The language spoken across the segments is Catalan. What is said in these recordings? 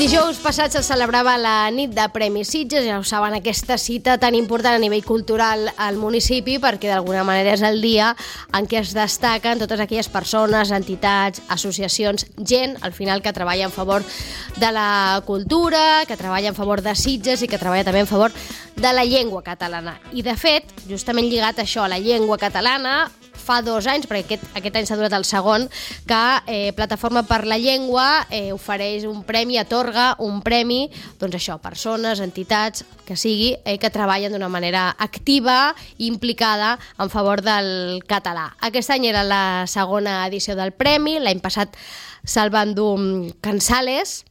Dijous passat se celebrava la nit de Premis Sitges, ja ho saben, aquesta cita tan important a nivell cultural al municipi, perquè d'alguna manera és el dia en què es destaquen totes aquelles persones, entitats, associacions, gent, al final, que treballa en favor de la cultura, que treballa en favor de Sitges i que treballa també en favor de la llengua catalana. I, de fet, justament lligat a això, a la llengua catalana, fa 2 anys, perquè aquest any s'ha durat el segon, que Plataforma per la Llengua ofereix un premi, atorga un premi, doncs això, persones, entitats, que sigui, que treballen d'una manera activa i implicada en favor del català. Aquest any era la segona edició del premi, l'any passat se'l van dur Cansales,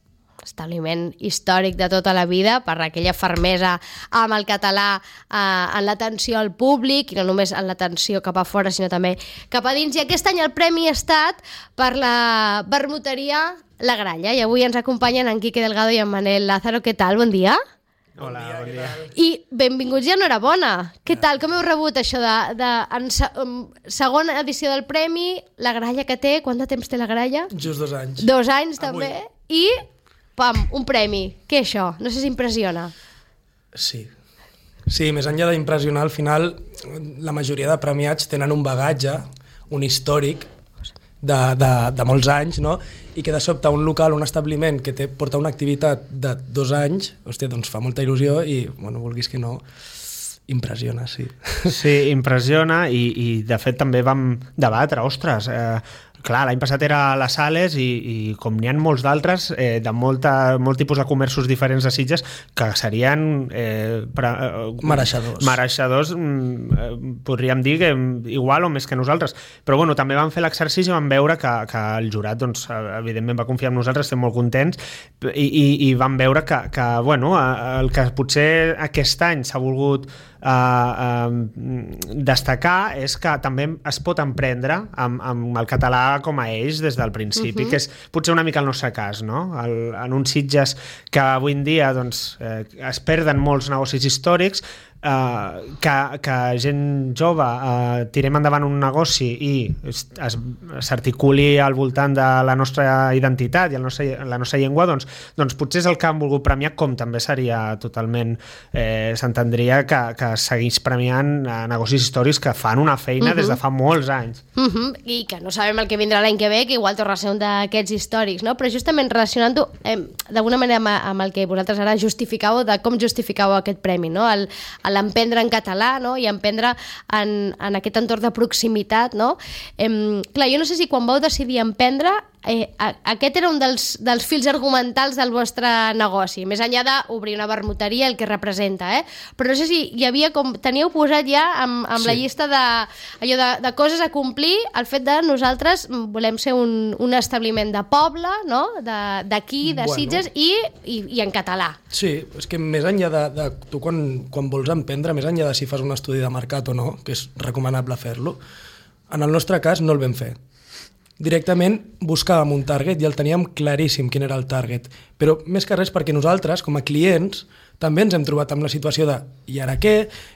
establiment històric de tota la vida, per aquella fermesa amb el català en l'atenció al públic, i no només en l'atenció cap a fora, sinó també cap a dins. I aquest any el premi ha estat per la vermuteria La Gralla, i avui ens acompanyen en Quique Delgado i en Manel Lázaro. Què tal? Bon dia. Hola, bon dia. I benvinguts i enhorabona. Què tal? Com heu rebut això en segona edició del premi, La Gralla que té? Quant de temps té La Gralla? Just 2 anys. 2 anys, també. I, pam, un premi. Què és això? No sé si impressiona. Sí. Sí, més enllà d'impressionar, al final la majoria de premiats tenen un bagatge, un històric de molts anys, no? I que de sobte un local, un establiment que porta una activitat de 2 anys, hòstia, doncs fa molta il·lusió i, bueno, vulguis que no, impressiona, sí. Sí, impressiona i de fet també vam debatre, ostres, clar, l'any passat era a les Sales i com n'hi ha molts d'altres de molt tipus de comerços diferents de Sitges que serien mereixedors, podríem dir que igual o més que nosaltres, però bueno, també vam fer l'exercici i vam veure que el jurat doncs, evidentment va confiar en nosaltres, estem molt contents i vam veure que bueno, el que potser aquest any s'ha volgut destacar és que també es pot emprendre amb el català com a eix des del principi, que és potser una mica el nostre cas, no? En uns Sitges que avui en dia doncs, es perden molts negocis històrics, que gent jove tirem endavant un negoci i s'articuli al voltant de la nostra identitat i la nostra llengua, doncs potser és el que han volgut premiar, com també seria totalment, s'entendria que segueix premiant negocis històrics que fan una feina des de fa molts anys. I que no sabem el que vindrà l'any que ve, que igual torna a ser un d'aquests històrics, no? Però justament relacionant-ho d'alguna manera amb el que vosaltres ara justificàveu, de com justificàveu aquest premi, no? L'emprendre en català, no? I emprendre en aquest entorn de proximitat, no? Clar, jo no sé si quan vau decidir emprendre aquest era un dels fils argumentals del vostre negoci, més enllà d'obrir una vermuteria, el que representa, però no sé si hi havia teníeu posat ja amb la llista de coses a complir, el fet de nosaltres volem ser un establiment de poble, no? D'aquí, de Sitges, i en català. Sí, és que més enllà de tu quan vols emprendre, més enllà de si fas un estudi de mercat o no, que és recomanable fer-lo, en el nostre cas no el vam fer. Directament buscàvem un target i el teníem claríssim quin era el target, però més que res perquè nosaltres, com a clients, també ens hem trobat amb la situació de i ara què?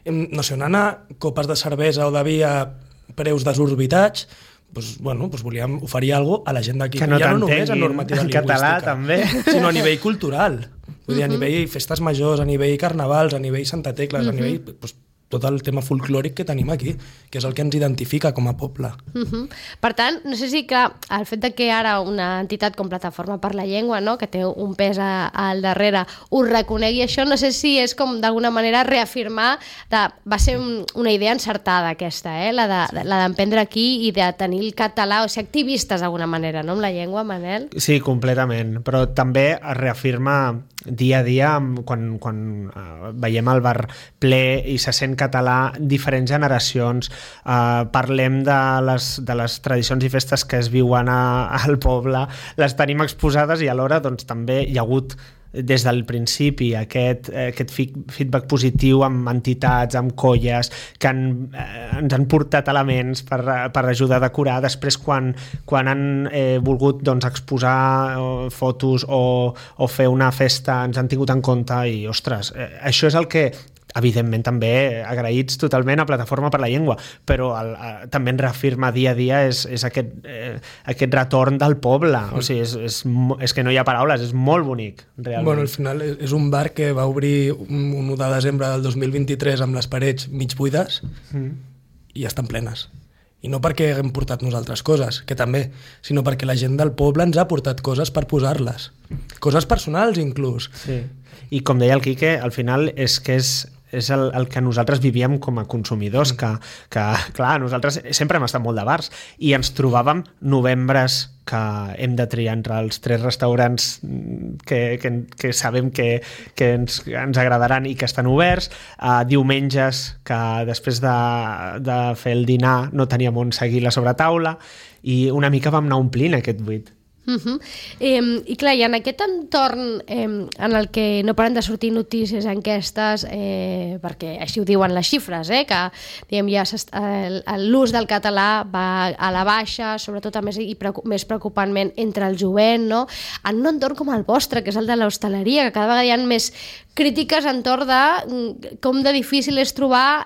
No sé on anar, copes de cervesa o de vi a preus desorbitats, doncs volíem oferir alguna cosa a la gent d'aquí. Que no només a normativa en català, també. Sinó a nivell cultural. Vull dir, a nivell festes majors, a nivell carnavals, a nivell Santa Tecles, a nivell tot el tema folclòric que tenim aquí, que és el que ens identifica com a poble. Per tant, no sé si que el fet de que ara una entitat com Plataforma per la Llengua, no, que té un pes al darrere, ho reconegui això, no sé si és com d'alguna manera reafirmar va ser una idea encertada aquesta, la d'emprendre aquí i de tenir el català, o ser activistes d'alguna manera, no, amb la llengua, Manel? Sí, completament, però també es reafirma dia a dia quan veiem el bar ple i se sent català, diferents generacions, parlem de les tradicions i festes que es viuen al poble, les tenim exposades i alhora doncs, també hi ha hagut des del principi aquest feedback positiu amb entitats, amb colles que ens han portat elements per ajudar a decorar. Després quan han volgut doncs, exposar fotos o fer una festa ens han tingut en compte i ostres, això és el que evidentment també agraïts totalment a Plataforma per la Llengua, però també ens reafirma dia a dia és aquest retorn del poble, o sigui, és que no hi ha paraules, és molt bonic, realment. Bueno, al final és un bar que va obrir un 1 de desembre del 2023 amb les parets mig buides i estan plenes. I no perquè haguem portat nosaltres coses, que també, sinó perquè la gent del poble ens ha portat coses per posar-les. Coses personals, inclús. Sí. I com deia el Quique, al final és que és el que nosaltres vivíem com a consumidors, que clar, nosaltres sempre hem estat molt de bars i ens trobàvem novembres que hem de triar entre els 3 restaurants que sabem que ens agradaran i que estan oberts, diumenges que després de fer el dinar no teníem on seguir la sobretaula i una mica vam anar omplint aquest buit. I clar, i en aquest entorn en el que no paren de sortir notícies, enquestes, perquè així ho diuen les xifres, que diguem, ja l'ús del català va a la baixa, sobretot més preocupantment entre el jovent, no? En un entorn com el vostre, que és el de l'hostaleria, que cada vegada hi ha més crítiques entorn de com de difícil és trobar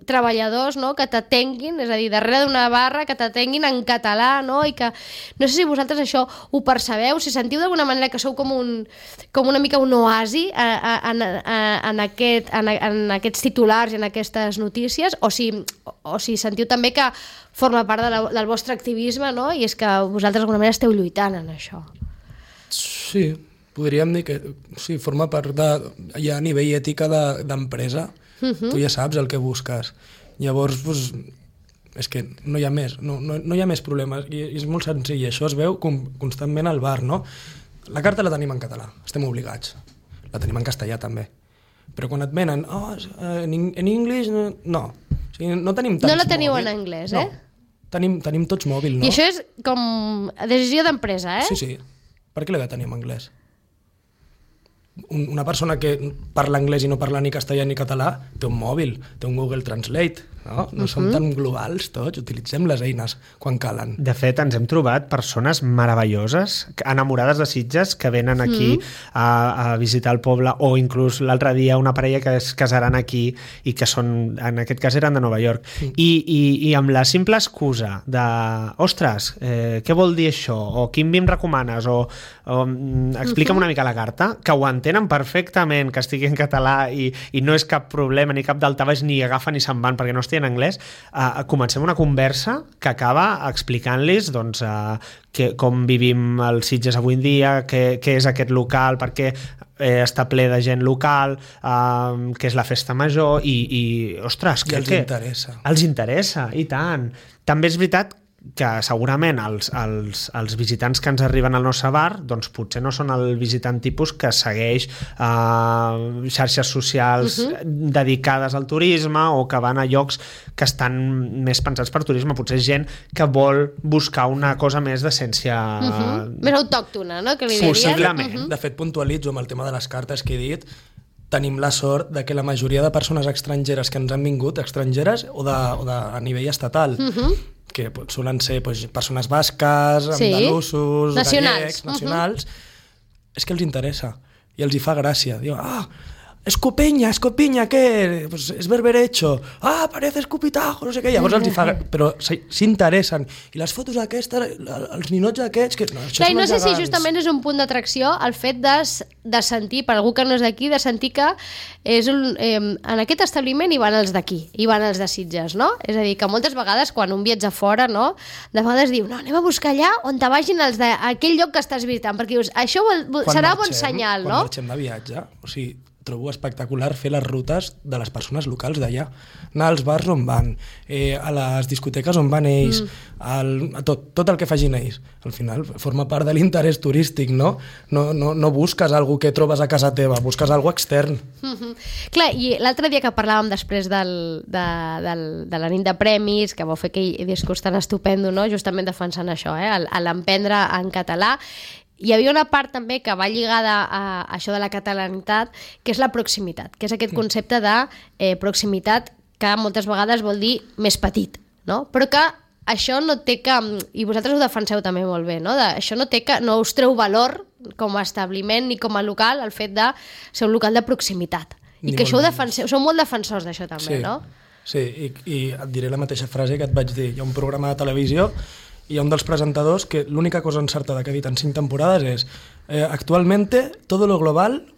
treballadors, no?, que t'atenguin, és a dir, darrere d'una barra que t'atenguin en català, no? I que no sé si vosaltres això ho percebeu, si sentiu d'alguna manera que sou com una mica un oasi en aquests titulars i en aquestes notícies, o si sentiu també que forma part del vostre activisme, no? I és que vosaltres d'alguna manera esteu lluitant en això. Sí, podríem dir que sí, forma part ja a nivell ètica d'empresa. Tu ja saps el que busques. Llavors, doncs, és que no hi ha més, no hi ha més problemes, i és molt senzill, això es veu constantment al bar, no? La carta la tenim en català, estem obligats, la tenim en castellà també, però quan et venen, en anglès, no, o sigui, no tenim tants no la teniu mòbil. En anglès, no. Tenim tots mòbil, no? I això és com decisió d'empresa, Sí, per què l'he de tenir en anglès? Una persona que parla anglès i no parla ni castellà ni català té un mòbil, té un Google Translate, no som tan globals tots, utilitzem les eines quan calen. De fet, ens hem trobat persones meravelloses, enamorades de Sitges, que venen aquí a visitar el poble, o inclús l'altre dia una parella que es casaran aquí i que són, en aquest cas eren de Nova York, i amb la simple excusa de ostres, què vol dir això? O quin vi em recomanes? O explica'm una mica la carta, que ho entenen perfectament, que estigui en català i no és cap problema ni cap daltabaix, ni agafen ni se'n van perquè no estigui en anglès, comencem una conversa que acaba explicant-los doncs, com vivim els Sitges avui en dia, què és aquest local, per què està ple de gent local, què és la festa major i ostres, I els interessa. Els interessa, i tant. També és veritat que segurament els visitants que ens arriben al nostre bar doncs potser no són el visitant tipus que segueix xarxes socials dedicades al turisme o que van a llocs que estan més pensats per turisme, potser és gent que vol buscar una cosa més d'essència més autòctona, no? Que li diries. Possiblement. De fet, puntualitzo amb el tema de les cartes que he dit, tenim la sort de que la majoria de persones estrangeres que ens han vingut, estrangeres o a nivell estatal, que solen ser persones basques, andalusos, gallecs, nacionals, és que els interessa i els hi fa gràcia. Diu, escopinya, què? Pues és berberecho. Parece escupitajo, no sé què. Llavors els hi fa... Però s'interessen. I les fotos aquestes, els ninots aquests... Clar, i no sé si justament és un punt d'atracció el fet de sentir, per algú que no és d'aquí, de sentir que en aquest establiment hi van els d'aquí, hi van els de Sitges, no? És a dir, que moltes vegades quan un viatja fora, no? De vegades diu, no, anem a buscar allà on te vagin els d'aquell lloc que estàs visitant, perquè dius, això serà bon senyal, no? Quan marxem de viatge, o sigui, trobo espectacular fer les rutes de les persones locals d'allà, anar als bars on van, a les discoteques on van ells, a tot el que facin ells. Al final forma part de l'interès turístic, no? No busques algú que trobes a casa teva, busques algú extern. Clar, i l'altre dia que parlàvem després de la nit de premis, que vau fer aquell discurs tan estupendo, no? Justament defensant això, a l'emprendre en català, hi havia una part també que va lligada a això de la catalanitat, que és la proximitat, que és aquest concepte de proximitat que moltes vegades vol dir més petit, no? Però que això no té que, i vosaltres ho defenseu també molt bé, no? Això no us treu valor com a establiment ni com a local el fet de ser un local de proximitat. I que això ho defenseu, sou molt defensors d'això també, no? Sí, i et diré la mateixa frase que et vaig dir. Hi ha un programa de televisió i hi ha un dels presentadors que l'única cosa encertada que ha dit en 5 temporades és actualmente todo lo global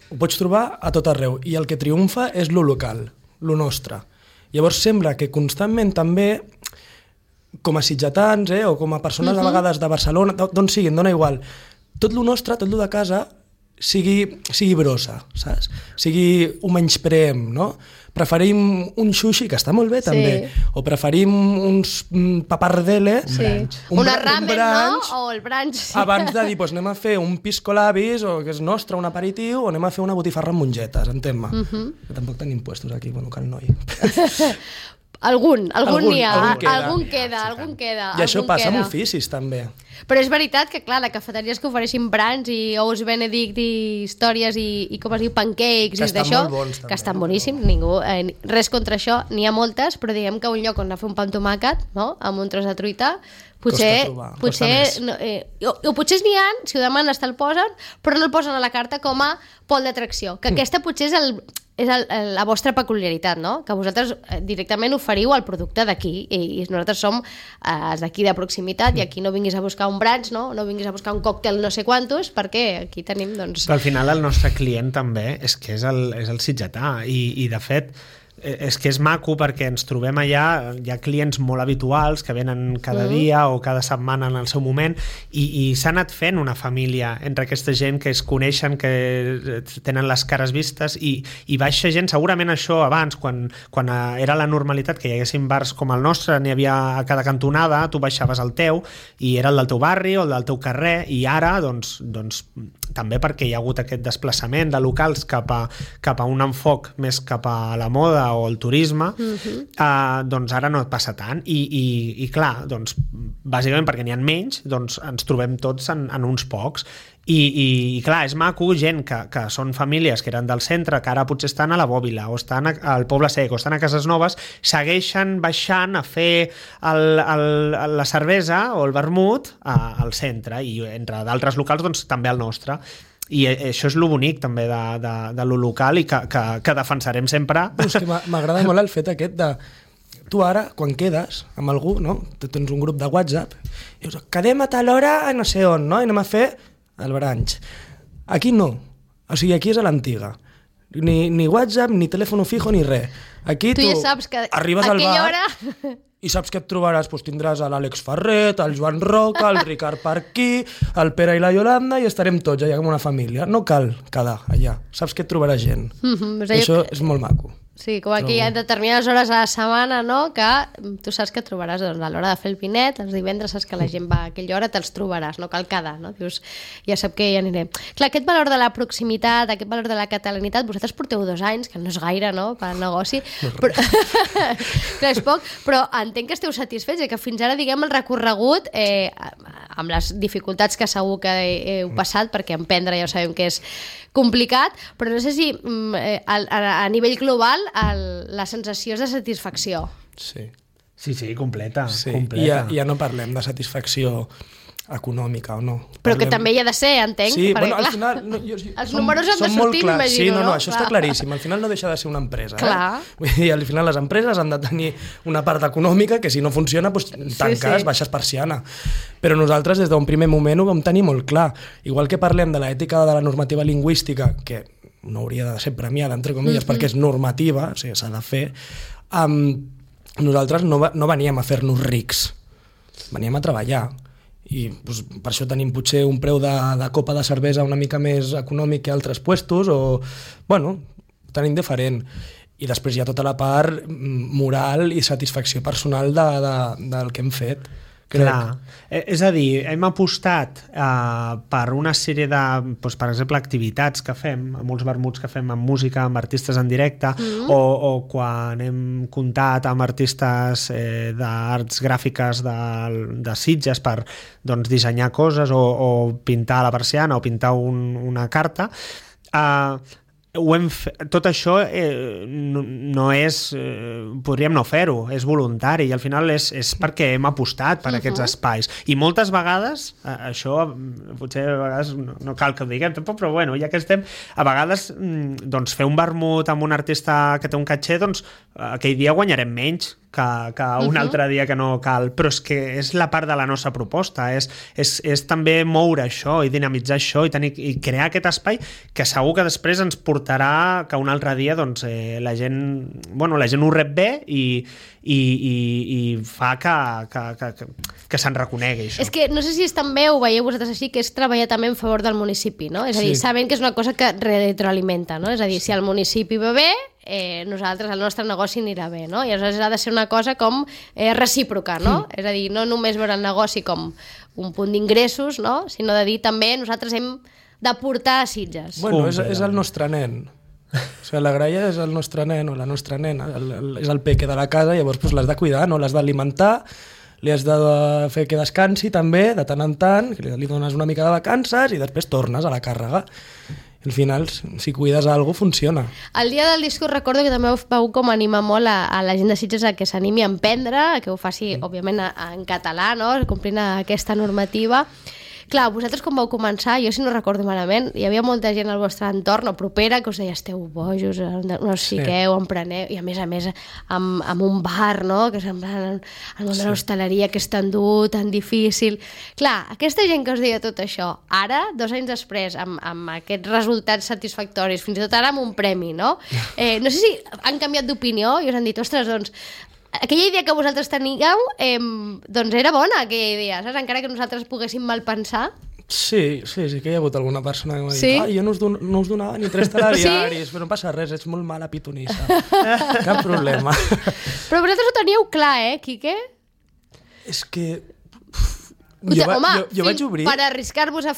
ho pots trobar a tot arreu i el que triomfa és lo local, lo nostre. Llavors sembla que constantment també com a sitgetans o com a persones a vegades de Barcelona, d'on siguin, dona igual, tot lo nostre, tot lo de casa sigui brossa, saps? Ho menyspreem, no? Preferim un sushi, que està molt bé també, o preferim uns papardele, una ramen, no? O el brunch. Abans de dir, anem a fer un piscolabis, o que és nostre, un aperitiu, o anem a fer una botifarra amb mongetes, entén-me. Que tampoc tenim puestos aquí, bueno, cal noi. Algun n'hi ha, algun queda. I això passa amb oficis, també. Però és veritat que, clar, de cafeteries que ofereixin brunch i ous benedict i històries i com es diu, pancakes i d'això, que estan boníssims, res contra això, n'hi ha moltes, però diguem que un lloc on anar a fer un pa amb tomàquet, no?, amb un tros de truita, potser n'hi ha, si ho demanes te'l posen, però no el posen a la carta com a pol d'atracció, que aquesta potser és la vostra peculiaritat, no? Que vosaltres directament oferiu el producte d'aquí i nosaltres som els d'aquí de proximitat i aquí no vinguis a buscar un brunch, no vinguis a buscar un còctel no sé quantos, perquè aquí tenim, doncs... Però al final el nostre client també és que és el sitgetà i de fet és que és maco perquè ens trobem allà, hi ha clients molt habituals que venen cada dia o cada setmana en el seu moment i s'ha anat fent una família entre aquesta gent que es coneixen, que tenen les cares vistes i baixa gent, segurament això abans quan era la normalitat que hi haguessin bars com el nostre, n'hi havia a cada cantonada, tu baixaves el teu i era el del teu barri o el del teu carrer i ara doncs també perquè hi ha hagut aquest desplaçament de locals cap a un enfoc més cap a la moda o el turisme, doncs ara no et passa tant i clar, doncs bàsicament perquè n'hi ha menys, doncs ens trobem tots en uns pocs i clar, és maco gent que són famílies que eren del centre, que ara potser estan a la Bòbila o estan al Poble Sec o estan a Cases Noves, segueixen baixant a fer la cervesa o el vermut al centre i entre d'altres locals doncs també al nostre. I això és lo bonic també de lo local i que defensarem sempre. És que m'agrada molt el fet aquest de tu ara, quan quedes amb algú, no? Tens un grup de WhatsApp i dius, quedem a tal hora no sé on, no? I anem a fer el brunch. Aquí no, o sigui, aquí és a l'antiga. Ni WhatsApp, ni telèfon fijo, ni res. Aquí tu ja saps que arribes al bar i saps que et trobaràs, doncs tindràs l'Àlex Ferret, el Joan Roca, el Ricard Parquí, el Pere i la Iolanda i estarem tots allà com una família. No cal quedar allà, saps que et trobaràs gent. Això és molt maco. Sí, com aquí hi ha determinades hores a la setmana, no?, que tu saps que et trobaràs doncs, a l'hora de fer el vinet, els divendres saps que la gent va a aquella hora, te'ls trobaràs, no cal quedar, no? Dius, ja sap que hi anirem. Clar, aquest valor de la proximitat, aquest valor de la catalanitat, vosaltres porteu 2 anys, que no és gaire, no?, per al negoci, però... clar, és poc, però entenc que esteu satisfets i que fins ara, diguem, el recorregut, amb les dificultats que segur que heu passat, perquè emprendre ja ho sabem que és complicat, però no sé si a nivell global la sensació és de satisfacció. Sí, completa. I ja no parlem de satisfacció econòmica o no. Però que també hi ha de ser, entenc. Sí, perquè, al clar, final... els números han de sortir, m'imagino, no? Això està claríssim. Al final no deixa de ser una empresa. Clar. Vull dir, al final les empreses han de tenir una part econòmica que si no funciona, doncs tanques, baixes persiana. Però nosaltres des d'un primer moment ho vam tenir molt clar. Igual que parlem de l'ètica de la normativa lingüística, que no hauria de ser premiada, entre comilles, perquè és normativa, o sigui, s'ha de fer, nosaltres no veníem a fer-nos rics, veníem a treballar. I doncs, per això tenim potser un preu de copa de cervesa una mica més econòmic que altres puestos, o, bueno, tenim diferent. I després hi ha tota la part moral i satisfacció personal del que hem fet. Clar. És a dir, hem apostat per una sèrie de, doncs, per exemple, activitats que fem, molts vermuts que fem amb música, amb artistes en directe, o quan hem comptat amb artistes d'arts gràfiques de Sitges per doncs, dissenyar coses o pintar la persiana o pintar una carta, tot això no és... podríem no fer-ho, és voluntari i al final és perquè hem apostat per aquests espais. I moltes vegades, això potser a vegades no cal que ho diguem tampoc, però bueno, ja que estem, a vegades doncs, fer un vermut amb un artista que té un caché, doncs aquell dia guanyarem menys que un altre dia que no cal, però és que és la part de la nostra proposta, és també moure això i dinamitzar això i crear aquest espai que segur que després ens portarà que un altre dia doncs, la gent ho rep bé i fa que se'n reconegui això. És que no sé si és també, ho veieu vosaltres així, que és treballar també en favor del municipi, no? És a dir, sabent que és una cosa que retroalimenta, no? És a dir, si el municipi va bé, nosaltres, el nostre negoci anirà bé, no? I aleshores ha de ser una cosa com recíproca, no? És a dir, no només veure el negoci com un punt d'ingressos, no? Sinó de dir també nosaltres hem d'aportar a Sitges. Bueno, és el nostre nen. O sigui, la graella és el nostre nen o la nostra nena, és el peque de la casa, llavors pues, l'has de cuidar, no? L'has d'alimentar, li has de fer que descansi també, de tant en tant, que li dones una mica de vacances i després tornes a la càrrega. Al final, si cuides alguna cosa, funciona. El dia del discurs recordo que també vau com animar molt a la gent de Sitges a que s'animi a emprendre, que ho faci, òbviament, en català, no? Complint aquesta normativa. Clar, vosaltres com vau començar, jo si no recordo malament, hi havia molta gent al vostre entorn o propera que us deia, esteu bojos, no us fiqueu, empreneu, i a més amb un bar, no? Que sembla el món de l'hostaleria, que és tan dur, tan difícil. Clar, aquesta gent que us deia tot això, ara, 2 anys després, amb aquests resultats satisfactoris, fins i tot ara amb un premi, no? No sé si han canviat d'opinió i us han dit, ostres, doncs, aquella idea que vosaltres teníeu doncs era bona, aquella idea, saps? Encara que nosaltres poguéssim malpensar. Sí que hi ha hagut alguna persona que m'ha dit jo no us donava ni 3 telediaris, però no passa res, ets molt mala pitonissa. Cap problema. Però vosaltres ho teníeu clar, Quique? És que... Home, jo vaig obrir... per arriscar-vos a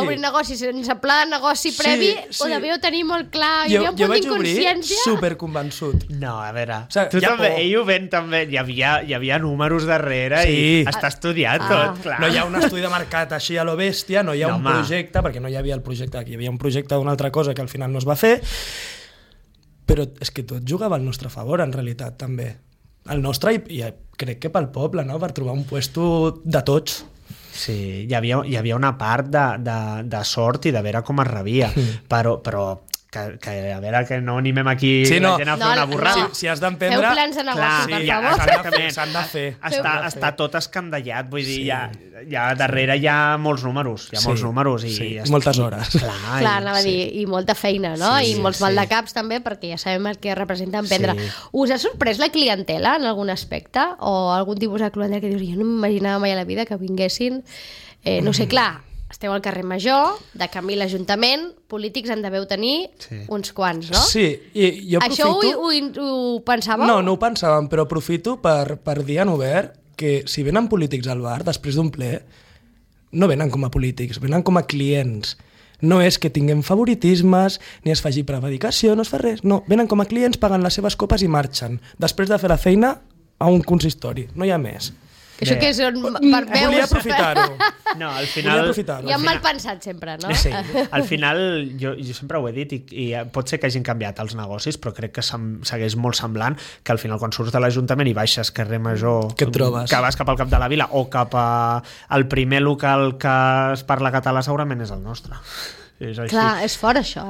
obrir negoci sense pla de negoci previ, ho devíeu tenir molt clar, hi havia un punt d'inconsciència. Jo vaig obrir superconvençut. No, a veure, tu també, ell ho ven també, hi havia números darrere i està estudiat tot, clar. No hi ha un estudi de mercat així a lo bèstia, no hi ha un projecte, perquè no hi havia el projecte aquí, hi havia un projecte d'una altra cosa que al final no es va fer, però és que tot jugava al nostre favor, en realitat, també. El nostre, i crec que pel poble, no? Per trobar un puesto de tots. Sí, hi havia una part de sort i de veure com es rebia, però que a veure que no animem aquí la gent a fer una borrada. Si has d'emprendre... Feu plans de negoci, per favor. S'han de fer. Està tot escandallat, vull dir, ja darrere hi ha molts números, i moltes hores. Clar, anava a dir, i molta feina, no? I molts maldecaps també, perquè ja sabem el que representa emprendre. Us ha sorprès la clientela en algun aspecte? O algun tipus de clientela que dius, jo no m'imaginava mai a la vida que vinguessin, no sé, clar, esteu al carrer Major, de camí l'Ajuntament, polítics en deveu tenir uns quants, no? Sí, i jo aprofito... Això ho pensàveu? No ho pensàvem, però aprofito per dir en obert que si venen polítics al bar després d'un ple, no venen com a polítics, venen com a clients. No és que tinguem favoritismes, ni es faci prevaricació, no es fa res. No, venen com a clients, paguen les seves copes i marxen. Després de fer la feina a un consistori, no hi ha més. Això que és on per veus... Volia aprofitar-ho. No, al final... Ja mal pensat sempre, no? Sí, al final jo sempre ho he dit i pot ser que hagin canviat els negocis, però crec que segueix molt semblant que al final quan surts de l'Ajuntament i baixes carrer Major, que et trobes? Que vas cap al cap de la vila o cap al primer local que es parla català segurament és el nostre. És així. Clar, és fort això,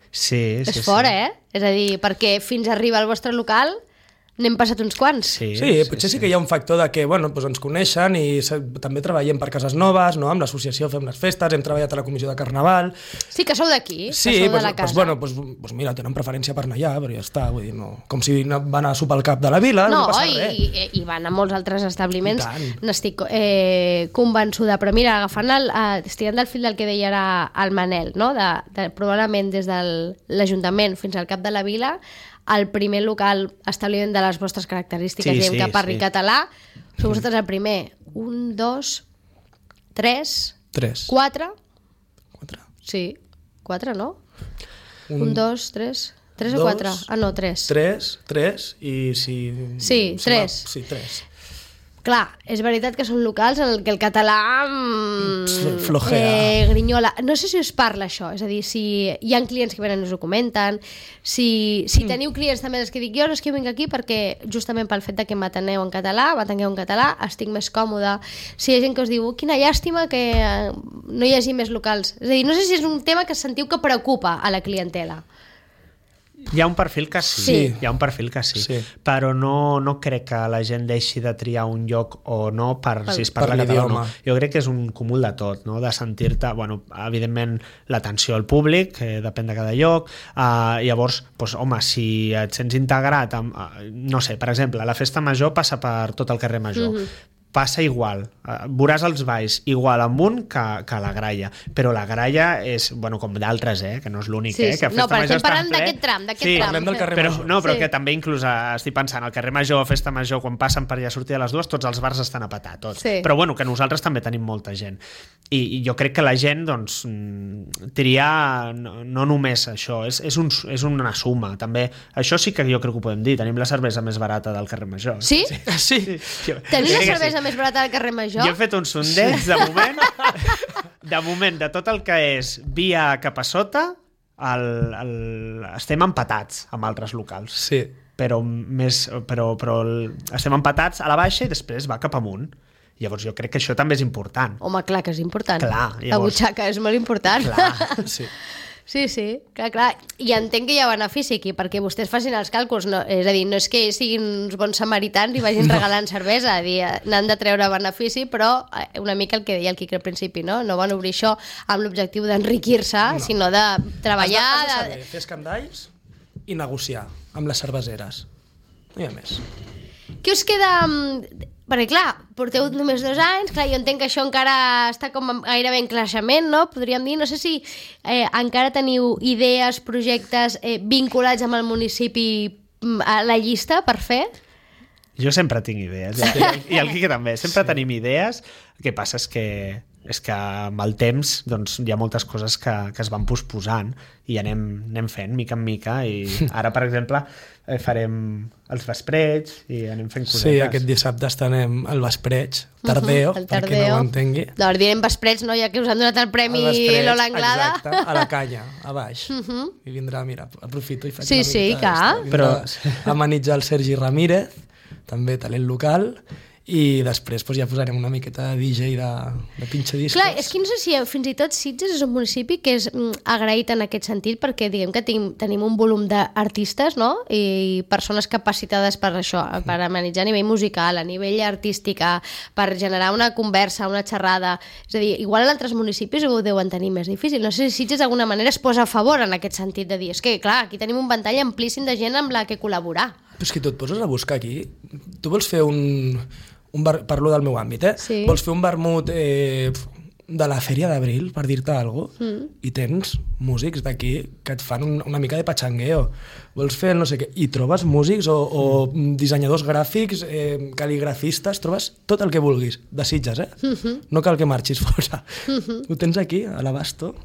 Sí. És fort, És a dir, perquè fins a arribar al vostre local n'hem passat uns quants. Sí, potser sí que hi ha un factor de que doncs ens coneixen i també treballem per Cases Noves, no? Amb l'associació fem les festes, hem treballat a la comissió de Carnaval. Sí, que sou d'aquí, sí, que sou de la casa. Doncs mira, tenen preferència per anar allà, però ja està, vull dir, no. Com si van a sopar al cap de la vila, no passa res. I van a molts altres establiments, n'estic convençuda, però mira, agafant estirant del fil del que deia ara el Manel, no? Probablement des de l'Ajuntament fins al cap de la vila, el primer local establiment de les vostres característiques, que parli català, sou vosaltres el primer. 1, 2, 3, 4. Sí, 4, no? 1, 2, 3... 3 o 4? Ah, no, 3. 3 i si... Sí, 3. Sí, 3. Clar, és veritat que són locals en què el català flojea. grinyola. No sé si us parla això, és a dir, si hi ha clients que venen i us ho comenten, si teniu clients també els que dic jo, és que jo vinc aquí perquè justament pel fet de que m'atengueu en català, estic més còmode. Si hi ha gent que us diu, quina llàstima que no hi hagi més locals. És a dir, no sé si és un tema que sentiu que preocupa a la clientela. Hi ha un perfil que sí. Hi ha un perfil que sí. Però no crec que la gent deixi de triar un lloc o no si es parla català o no. Jo crec que és un cúmul de tot, no? De sentir-te, evidentment l'atenció al públic, que depèn de cada lloc, llavors, home, si et sents integrat no sé, per exemple, la festa major passa per tot el carrer Major, passa igual, veuràs els balls igual amb un que a la Gralla, però la Gralla és, com d'altres, que no és l'únic, que a Festa Major està en ple. D'aquest tram. Parlem del carrer Major. Però que també inclús estic pensant, al carrer Major o Festa Major, quan passen per allà a sortir a les 2, tots els bars estan a petar, tots. Però que nosaltres també tenim molta gent. I jo crec que la gent, triar no només això, és una suma, també. Això sí que jo crec que ho podem dir, tenim la cervesa més barata del carrer Major. Sí? Sí. Tenim la cervesa més barata del carrer Major? Jo he fet un sondeig de moment de tot el que és via cap a sota estem empatats amb altres locals. Sí. Però estem empatats a la baixa i després va cap amunt. Llavors jo crec que això també és important. Home, clar que és important. Clar, la butxaca és molt important. Clar, sí. Sí, clar. I entenc que hi ha benefici aquí, perquè vostès facin els càlculs, no? És a dir, no és que siguin uns bons samaritans i vagin regalant cervesa, n'han de treure benefici, però una mica el que deia el Quique al principi, no? No van obrir això amb l'objectiu d'enriquir-se, sinó de treballar... Has de saber fer escandalls i negociar amb les cerveseres. No hi ha més. Què us queda... Perquè, clar, porteu només 2 anys, clar, jo entenc que això encara està com gairebé en creixement, no? Podríem dir, no sé si encara teniu idees, projectes vinculats amb el municipi a la llista per fer? Jo sempre tinc idees, i el Quique també, sempre tenim idees. El que passa és que amb el temps hi ha moltes coses que es van posposant i anem fent mica en mica, i ara, per exemple, farem els vespreig i anem fent cosetes. Sí, aquest dissabte estarem al vespreig, tardeo, perquè no ho entengui. Doncs direm vespreig, no? Ja que us han donat el premi Lola Anglada. Exacte, a la canya, a baix. I vindrà, mira, aprofito i faig una mica. Vindrà a amenitzar el Sergi Ramírez, també talent local, i després ja posarem una miqueta de DJ de pinxadiscos. Clar, és que no sé si fins i tot Sitges és un municipi que és agraït en aquest sentit, perquè diguem que tenim un volum d'artistes, no? I persones capacitades per això, per amenitzar a nivell musical, a nivell artístic, per generar una conversa, una xerrada. És a dir, igual en altres municipis ho deuen tenir més difícil. No sé si Sitges d'alguna manera es posa a favor en aquest sentit de dir, és que clar, aquí tenim un ventall amplíssim de gent amb la que col·laborar. Però és que tu et poses a buscar aquí, tu vols fer parlo del meu àmbit, Sí. Vols fer un vermut de la Fèria d'Abril, per dir-te alguna cosa, i tens músics d'aquí que et fan una mica de pachangueo. Vols fer no sé què, i trobes músics o dissenyadors gràfics, cal·ligrafistes, trobes tot el que vulguis, de Sitges, No cal que marxis fora. Ho tens aquí, a l'abasto.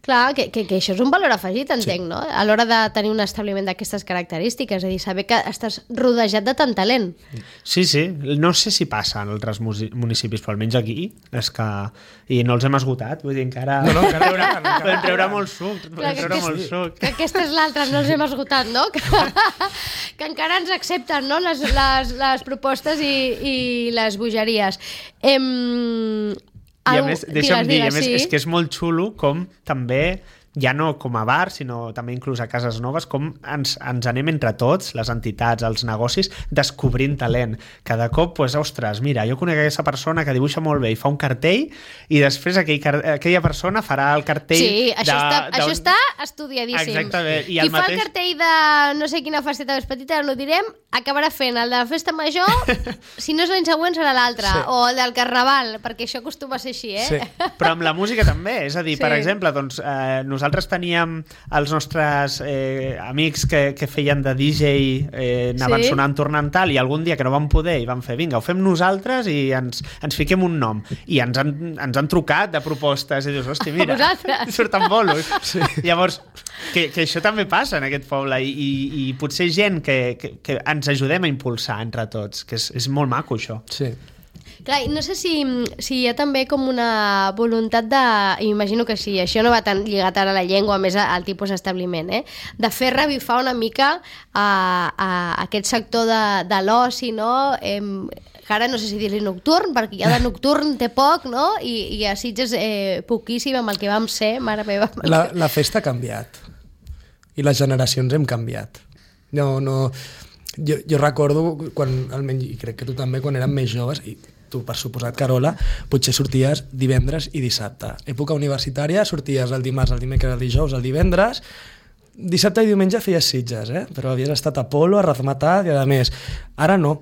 Clar, que això és un valor afegit, entenc, no? A l'hora de tenir un establiment d'aquestes característiques, és a dir, saber que estàs rodejat de tant talent. Sí, no sé si passa en altres municipis, però almenys aquí, és que... I no els hem esgotat, vull dir, encara... No, encara podem treure molt suc. Que aquesta és l'altra, no els hem esgotat, no? Que encara ens accepten, no?, les propostes i les bogeries. I a més, deixa'm dir, és que és molt xulo com també, ja no com a bar, sinó també inclús a cases noves, com ens anem entre tots, les entitats, els negocis, descobrint talent. Cada cop, ostres, mira, jo conec aquesta persona que dibuixa molt bé i fa un cartell, i després aquella persona farà el cartell... Sí, això està estudiadíssim. Exactament. Qui fa el cartell de no sé quina festeta més petita, no ho direm, acabarà fent el de la festa major, si no és l'any següent serà l'altre, o el del carnaval, perquè això acostuma a ser així, Sí. Però amb la música també, és a dir, per exemple, nosaltres teníem els nostres amics que feien de DJ, anaven sonant, tornant tal, i algun dia que no van poder i van fer, vinga, ho fem nosaltres i ens fiquem un nom. I ens han trucat de propostes i dius, hosti, mira, surten bolos. Sí. Llavors, que això també passa en aquest poble i potser gent que ens ajudem a impulsar entre tots, que és molt maco això. Sí. Clar, no sé si hi ha també com una voluntat de, imagino que sí, això no va tan lligat ara a la llengua, més al tipus d'establiment, de fer revifar una mica a aquest sector de l'oci, no? Que ara no sé si dir-li nocturn, perquè ja de nocturn té poc, no? I a Sitges poquíssim amb el que vam ser, mare meva. La festa ha canviat i les generacions hem canviat. Jo recordo quan, almenys, i crec que tu també, quan érem més joves, i tu per suposat, Carola, potser sorties divendres i dissabte. Època universitària, sorties el dimarts, el dimecres, el dijous, el divendres, dissabte i diumenge feies Sitges, però havies estat a Polo, a Razmataz i a més. Ara no.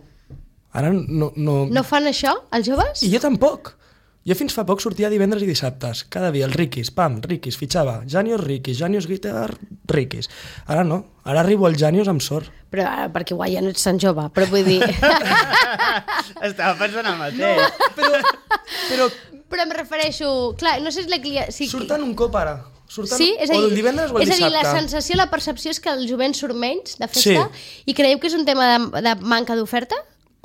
Ara no... No fan això, els joves? I jo tampoc. Jo fins fa poc sortia divendres i dissabtes. Cada dia el Riquis, pam, Riquis, fitxava. Janius Riquis, Janius Guitar, Riquis. Ara no. Ara arribo al Janius amb sort. Però perquè guai, ja no ets tan jove, però vull dir... Estava pensant el mateix. Però em refereixo... Clar, no sé si la client... Surten un cop ara. Sí? És a dir, o el divendres o el dissabte. És a dir, la sensació, la percepció és que el jovent surt menys de festa, i creieu que és un tema de manca d'oferta?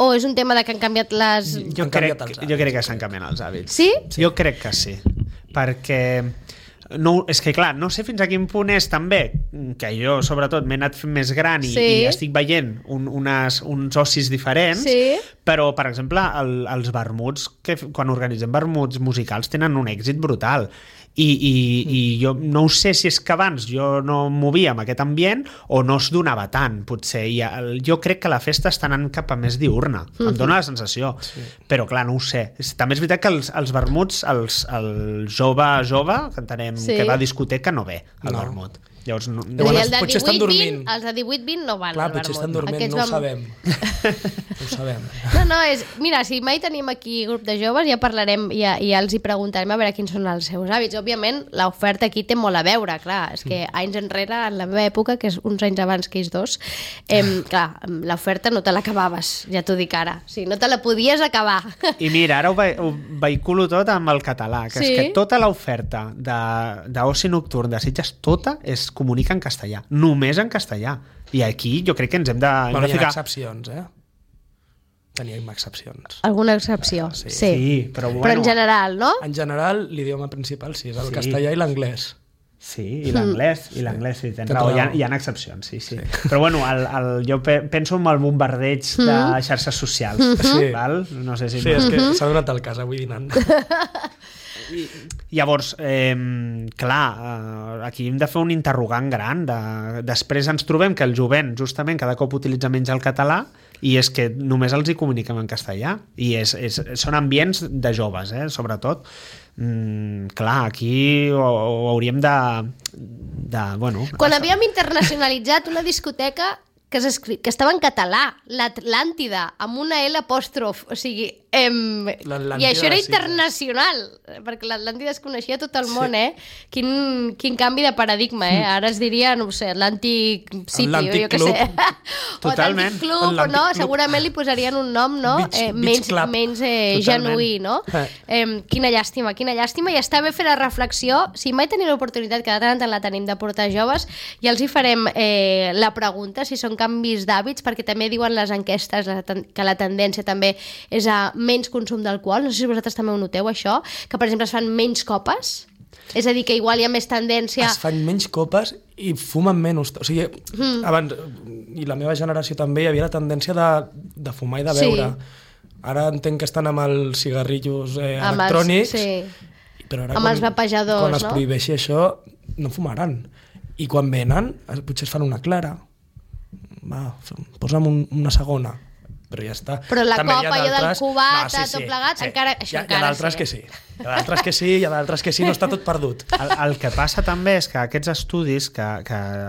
O és un tema de que han canviat les... Jo crec que s'han canviat els hàbits. Sí? Jo crec que sí. Perquè... No, és que clar, no sé fins a quin punt és també que jo sobretot m'he anat fent més gran i estic veient uns ocis diferents, però per exemple els vermuts, quan organitzem vermuts musicals tenen un èxit brutal i jo no ho sé si és que abans jo no em movia en aquest ambient o no es donava tant, potser. Jo crec que la festa està anant cap a més diurna, em dóna la sensació, però clar, no ho sé. També és veritat que els vermuts, el jove, que entenem que va a discoteca, no ve al vermut. Llavors, potser estan dormint. Els de 18-20 no van al vermut. Potser estan dormint, no ho sabem. No ho sabem. Mira, si mai tenim aquí grup de joves, ja parlarem, ja els hi preguntarem a veure quins són els seus hàbits. Òbviament, l'oferta aquí té molt a veure, clar. És que anys enrere, en la meva època, que és uns anys abans que ells dos, clar, l'oferta no te l'acabaves, ja t'ho dic ara. Sí, no te la podies acabar. I mira, ara ho vehiculo tot amb el català, que és que tota l'oferta d'oci nocturn de Sitges, tota comunica en castellà, només en castellà. I aquí jo crec que ens hem de ficar... Hi ha excepcions, Teníem excepcions. Alguna excepció, sí. Però en general, no? En general, l'idioma principal sí, és el castellà i l'anglès. Sí, i l'anglès, sí, tens raó, hi ha excepcions, sí. Però bueno, jo penso en el bombardeig de xarxes socials, val? No sé si... Sí, és que s'ha donat el cas avui dinant. Llavors, clar, aquí hem de fer un interrogant gran. Després ens trobem que el jovent justament cada cop utilitza menys el català i és que només els hi comuniquem en castellà i són ambients de joves, sobretot. Clar, aquí ho hauríem de bueno... Quan havíem internacionalitzat una discoteca que estava en català, l'Atlàntida, amb una L apòstrof, o sigui... I això era internacional, perquè l'Atlàntida es coneixia a tot el món, Quin canvi de paradigma, Ara es diria, no ho sé, Atlàntic City, o jo què sé. Totalment. O Atlàntic Club, no? Segurament li posarien un nom, no? Menys genuí, no? Quina llàstima, i està bé fer la reflexió. Si mai tenim l'oportunitat, que de tant en tant la tenim, de portar joves, ja els hi farem la pregunta, si són canvis d'hàbits, perquè també diuen les enquestes que la tendència també és a menys consum d'alcohol. No sé si vosaltres també ho noteu, això, que per exemple es fan menys copes, és a dir, que igual hi ha més tendència... Es fan menys copes i fumen menys. O sigui, abans, i la meva generació també, hi havia la tendència de fumar i de beure. Ara entenc que estan amb els cigarrillos electrònics, però ara amb els vapejadors, quan es prohibeixi això, no fumaran. I quan venen, potser es fan una clara. Va, posa'm una segona. Però ja està. Però la copa allò del cubat, tot plegat, encara... Hi ha d'altres que sí. Hi ha d'altres que sí, hi ha d'altres que sí, no està tot perdut. El que passa també és que aquests estudis, que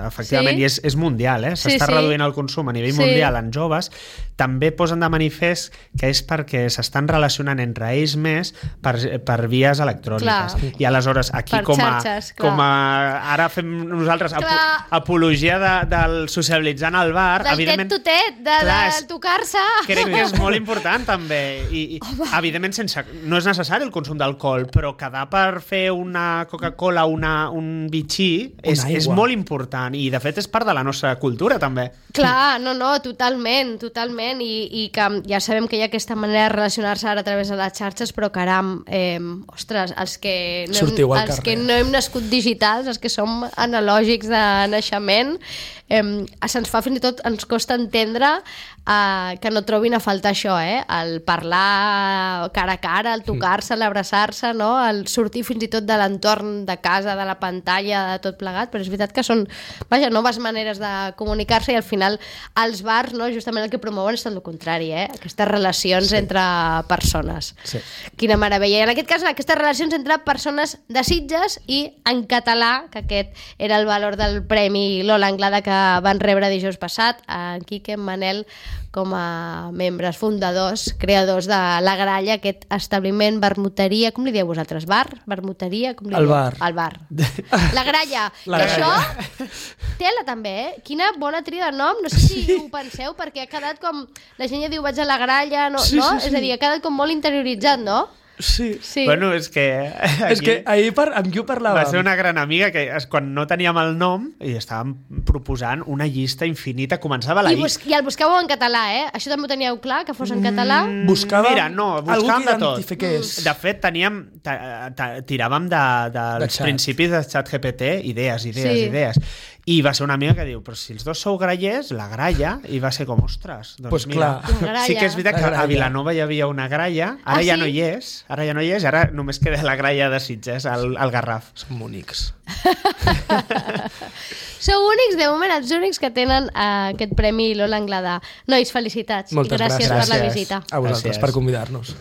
efectivament, Sí. i és mundial, s'està reduint el consum a nivell mundial en joves, també posen de manifest que és perquè s'estan relacionant entre ells més per vies electròniques. Clar. I aleshores aquí Per com xarxes, clar. com a ara fem nosaltres apologia del socialitzar al bar, Del evidentment tet-to-tet, de tocar-se. crec que és molt important també i evidentment no és necessari el consum d'alcohol, però quedar per fer una Coca-Cola, un bitxí és molt important i de fet és part de la nostra cultura també. Clar, no, totalment i que ja sabem que hi ha aquesta manera de relacionar-se ara a través de les xarxes, però caram, ostres, els que no hem nascut digitals, els que som analògics de naixement, se'ns fa fins i tot, ens costa entendre que no trobin a faltar això, el parlar cara a cara, el tocar-se, l'abraçar-se, no? El sortir fins i tot de l'entorn de casa, de la pantalla, de tot plegat, però és veritat que són, noves maneres de comunicar-se i al final els bars, no, justament el que promouen és tot el contrari, aquestes relacions entre persones. Sí. Quina meravella. I en aquest cas, aquestes relacions entre persones de Sitges i en català, que aquest era el valor del Premi Lola Anglada que van rebre dijous passat, en Quique, en Manel, com a membres fundadors, creadors de La Gralla, aquest establiment, vermuteria, com li dieu vosaltres? Bar? Vermuteria? Com li dieu? El bar. La Gralla. La Gralla. Això, tela també, Quina bona tria de nom, no sé si ho penseu, perquè ha quedat com, la gent ja diu vaig a La Gralla, no? Sí. És a dir, ha quedat com molt interioritzat, no? Sí. Bueno, és que ahir amb qui ho parlàvem? Va ser una gran amiga que quan no teníem el nom i estàvem proposant una llista infinita, començava la I. I el buscàveu en català, Això també ho teníeu clar, que fos en català? Buscàvem algú que de tot. identifiqués. De fet, tiràvem dels principis de ChatGPT, idees. I va ser una amiga que diu, però si els dos sou grallers, la gralla, i va ser com, ostres, doncs pues mira, sí que és veritat que a Vilanova hi havia una gralla, ara ja no hi és, ara només queda la gralla de Sitges, al Garraf. Som únics. Sou únics, de moment, els únics que tenen aquest Premi Lola Anglada. Nois, felicitats. Moltes gràcies per la visita. A vosaltres Gràcies. per convidar-nos.